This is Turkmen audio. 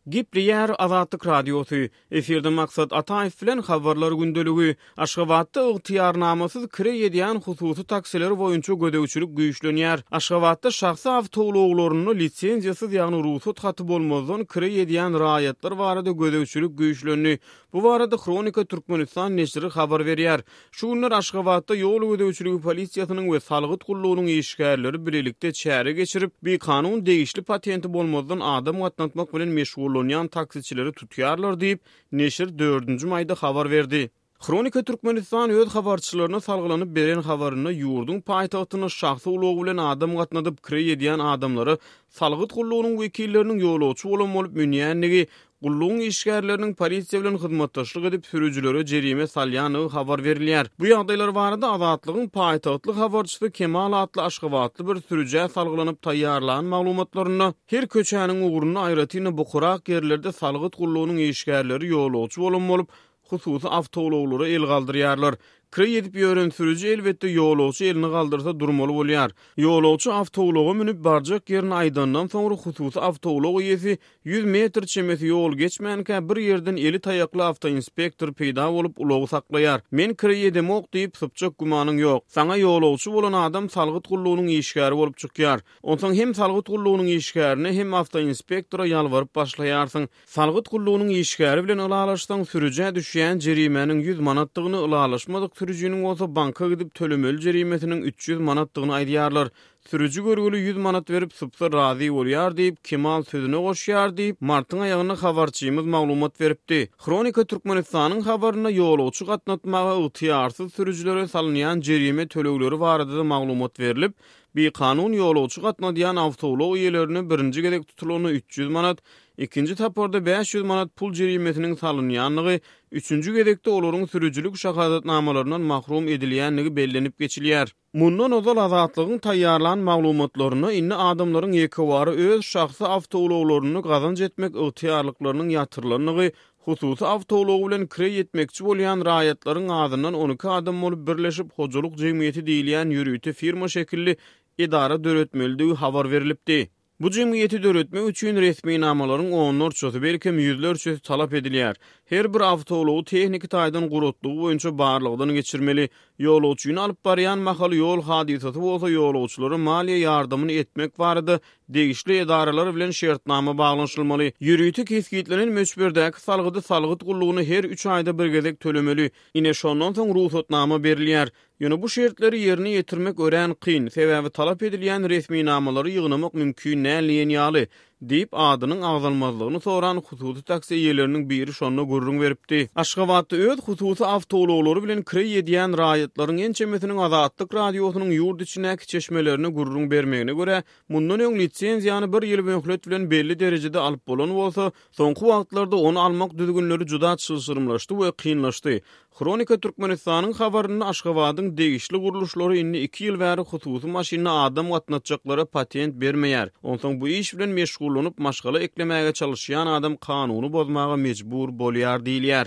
Gepleýär Azatlyk Radiosy, Efirde Maksat Ataýew bilen Habarlar gündeligi. Aşgabatda ygtyýarnamasyz kireý edýän hususy taksiler boýunça gözegçilik güýçlenýär. Aşgabatda şahsy awtoulaglarynda lisenziýasyz, ýagny rugsat haty bolmazdan kireý edýän raýatlar barada gözegçilik güýçlendi. Bu barada Hronika Türkmenistan neşiri habar berýär. Şu günler Aşgabatda ýol gözegçiligi polisiýasynyň we salgyt gullugynyň işgärleri bilelikde çäre geçirip, bikanun degişli patenti bolmazdan adam gatnatmak bilen meşgullanýan taksiçileri tutýarlar diýip, neşir dördünji maýda habar berdi. Hronika Türkmenistan öz habarçylaryna salgylanyp beren habarynda ýurduň paýtagtynda şahsy ulagy bilen adam gatnadyp kireý edýän adamlara salgyt gullugynyň wekilleriniň ýolagçy bolan bolup münýändigi, Gullugyň işgärleriniň polisiýa bilen hyzmatdaşlyk edip, sürüjilere jerime salýandygy habar berilýär. Bu ýagdaýlar barada Azatlygyň paýtagtly habarçysy Kemal atly aşgabatly bir sürüjä salgylanyp taýýarlan maglumatlarynda, her köçäniň ugrunda, aýratyn-da bukurak ýerlerde salgyt gullugynyň işgärleri ýolagçy bolan bolup, hususy awtoulaglara el galdyrýarlar. Kireý edip ýören sürüji elbetde ýolagçy elini galdyrsa durmaly bolýar. Ýolagçy awtoulaga münüp barjak ýerini aýdandan soňra hususy awtoulag eýesi 100 metr çemesi ýol geçmänkä bir ýerden eli taýakly awtoinspektor peýda bolup ulagy saklaýar. Men kireý edemok diýip sypjak gümanyň ýok. Saňa ýolagçy bolan adam salgyt gullugynyň işgäri bolup çykýar. Onsoň hem salgyt gullugynyň işgärine hem awtoinspektora ýalbaryp başlaýarsyň. Salgyt gullugynyň işgäri bilen ylalaşsaň, sürüjä düşýän jerimäniň 100 manatdygyny, ylalaşmadyk sürüjiniň bolsa banka gidip tölemeli jerimesiniň 300 manatdygyny aýdýarlar. Sürüji görgüli 100 manat berip sypsa razy bolýar diýip, Kemal sözüne goşýar diýip, martyň aýagynda habarçymyz maglumat beripdi. Hronika Türkmenistanyň habarynda ýolagçy gatnatmaga ygtyýarsyz sürüjilere salynýan jerime tölegleri barada-da maglumat berlip, bikanun ýolagçy gatnadýan awtoulag eýelerine birinji gezek tutulanda 300 manat, Ikinji tapgyrda 500 manat pul jerimesiniň salynýandygy, üçünji gezekde olaryň sürüjilik şahadatnamalaryndan mahrum edilýändigi bellenip geçilýär. Mundan ozal Azatlygyň taýýarlan maglumatlarynda indi adamlaryň ýekewara öz şahsy awtoulaglarynda gazanç etmek ygtyýarlyklarynyň ýatyrylandygy, hususy awtoulagy bilen kireý etmekçi bolýan raýatlaryň azyndan 12 adam bolup birleşip hojalyk jemgyýeti diýilýän ýörite firma şekilli edara döretmelidigi habar berlipdi. Bu jemgyýeti döretmek üçin resminamalaryň onlarçasy, belkem ýüzlerçesi talap edilýär. Her bir awtoulagy tehniki taýdan guratlygy boýunça barlagdan geçirmeli. Ýolagçyny alyp barýan mahaly ýol hadysasy bolsa ýolagçylara maliýe ýardamyny etmek barada degişli edaralar bilen şertnama baglanyşylmaly. Ýörite kesgitlenen möçberdäki salgydy salgyt gullugyna her üç aýda bir gezek tölemeli. Ine şondan soň rugsatnama berilýär. Ýöne bu şertleri ýerine ýetirmek örän kyn, sebäbi talap edilýän resminamalary ýygnamak mümkin däl diýen ýaly, diýip, adynyň agzalmazlygyny soran hususy taksi eýeleriniň biri şonda gürrüň beripdi. Aşgabatda öz hususy awtoulaglary bilen kireý edýän raýatlaryň ençemesiniň Azatlyk Radiosynyň ýurt içindäki çeşmelerine gürrüň bermegine görä, mundan öň lisenziýany bir ýyl möhlet bilen belli derejede alyp bolan bolsa, soňky wagtlarda ony almak düzgünleri juda çylşyrymlaşdy we kynlaşdy. Hronika Türkmenistanyň habarynda Aşgabadyň degişli gurluşlary indi iki ýyl bäri hususy maşynda adam gatnatjaklara patent bermeýär. Onsoň bu iş bilen meşgullanyp maşgala eklemäge çalyşýan adam kanuny bozmaga mejbur bolýar diýilýär.